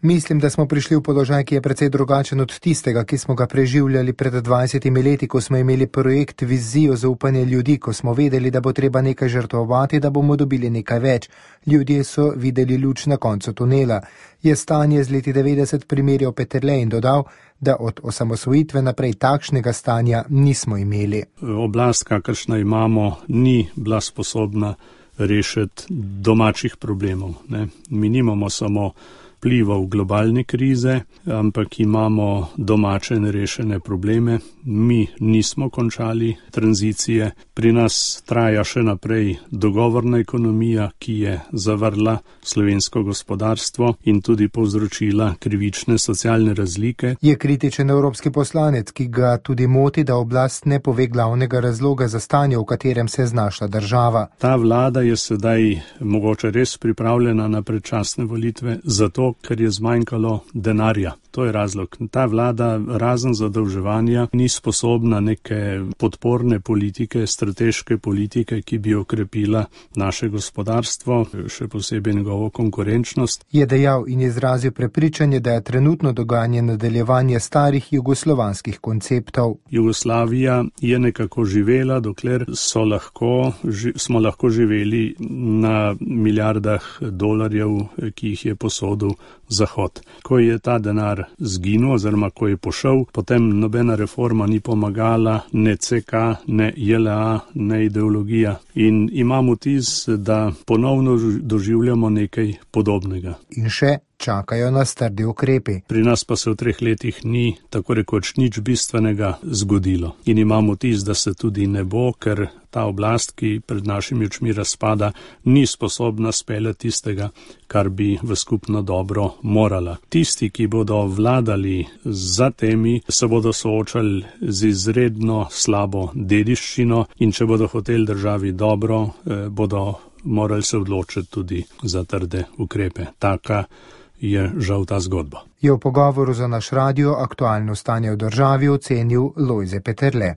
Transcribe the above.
Mislim, da smo prišli v položaj, ki je precej drugačen od tistega, ki smo ga preživljali pred 20 leti, ko smo imeli projekt Vizijo zaupanja ljudi, ko smo vedeli, da bo treba nekaj žrtvovati, da bomo dobili nekaj več. Ljudje so videli luč na koncu tunela. Je stanje z leti 90 primerjal Peterle in dodal, da od osamosvojitve naprej takšnega stanja nismo imeli. Oblast, kakršna imamo, ni bila sposobna rešiti domačih problemov. Mi nimamo samo vplivov globalne krize, ampak imamo domače nerešene probleme. Mi nismo končali tranzicije. Pri nas traja še naprej dogovorna ekonomija, ki je zavrla slovensko gospodarstvo in tudi povzročila krivične socialne razlike. Je kritičen evropski poslanec, ki ga tudi moti, da oblast ne pove glavnega razloga za stanje, v katerem se je znašla država. Ta vlada je sedaj mogoče res pripravljena na predčasne volitve, zato ker je zmanjkalo denarja. To je razlog. Ta vlada razen zadolževanja ni sposobna neke podporne politike, strateške politike, ki bi okrepila naše gospodarstvo, še posebej njegovo konkurenčnost. Je dejal in izrazil prepričanje, da je trenutno dogajanje nadaljevanje starih jugoslovanskih konceptov. Jugoslavija je nekako živela, dokler smo lahko živeli na milijardah dolarjev, ki jih je posodil Zahod. Ko je ta denar zginil oziroma ko je pošel, potem nobena reforma ni pomagala, ne CK, ne JLA, ne ideologija. In imam vtis, da ponovno doživljamo nekaj podobnega. In še čakajo nas trdi ukrepi. Pri nas pa se v 3 letih ni tako rekoč nič bistvenega zgodilo. In imam vtis, da se tudi ne bo, ker ta oblast, ki pred našimi očmi razpada, ni sposobna speljati tistega, kar bi v skupno dobro morala. Tisti, ki bodo vladali za temi, se bodo soočali z izredno slabo dediščino in če bodo hoteli državi dobro, bodo morali se odločiti tudi za trde ukrepe. Taka je žal ta zgodba. Je v pogovoru za naš radio aktualno stanje v državi ocenil Lojze Peterle.